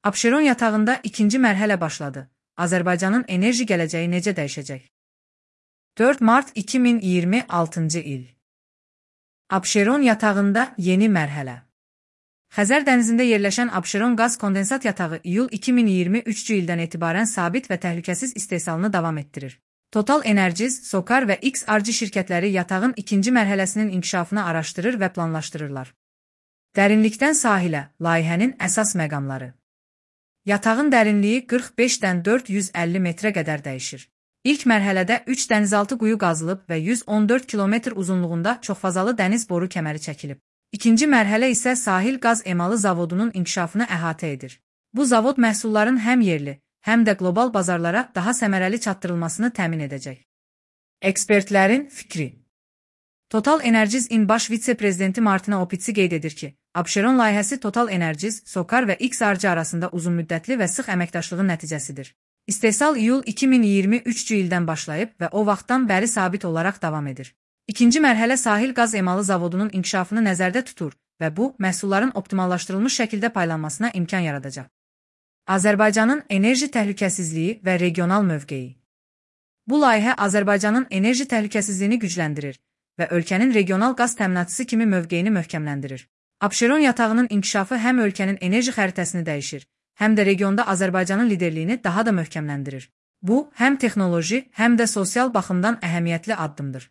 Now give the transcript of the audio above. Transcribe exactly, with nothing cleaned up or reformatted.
Abşeron yatağında ikinci mərhələ başladı. Azərbaycanın enerji gələcəyi necə dəyişəcək? dörd mart iki min iyirmi altıncı il. Abşeron yatağında yeni mərhələ. Xəzər dənizində yerləşən Abşeron qaz kondensat yatağı iyul iki min iyirmi üçüncü ildən etibarən sabit və təhlükəsiz istehsalını davam etdirir. Total Energies, Sokar və X R G şirkətləri yatağın ikinci mərhələsinin inkişafını araşdırır və planlaşdırırlar. Dərinlikdən sahilə, layihənin əsas məqamları. Yatağın dərinliyi qırx beşdən dörd yüz əlli metrə qədər dəyişir. İlk mərhələdə üç dənizaltı quyu qazılıb və yüz on dörd kilometr uzunluğunda çoxfazalı dəniz boru kəməri çəkilib. İkinci mərhələ isə sahil qaz emalı zavodunun inkişafını əhatə edir. Bu zavod məhsulların həm yerli, həm də qlobal bazarlara daha səmərəli çatdırılmasını təmin edəcək. Ekspertlərin fikri. Total Energies-in baş vitse-prezidenti Martina Opitsi qeyd edir ki, Abşeron layihəsi Total Energies, Sokar və X R G arasında uzunmüddətli və sıx əməkdaşlığın nəticəsidir. İstehsal iyul iki min iyirmi üçüncü ildən başlayıb və o vaxtdan bəri sabit olaraq davam edir. İkinci mərhələ sahil qaz emalı zavodunun inkişafını nəzərdə tutur və bu, məhsulların optimallaşdırılmış şəkildə paylanmasına imkan yaradacaq. Azərbaycanın enerji təhlükəsizliyi və regional mövqeyi. Bu layihə Azərbaycanın enerji təhlükəsizliyini gücləndirir və ölkənin regional qaz təminatçısı kimi mövqeyini möhkəmləndirir. Abşeron yatağının inkişafı həm ölkənin enerji xəritəsini dəyişir, həm də regionda Azərbaycanın liderliyini daha da möhkəmləndirir. Bu, həm texnoloji, həm də sosial baxımdan əhəmiyyətli addımdır.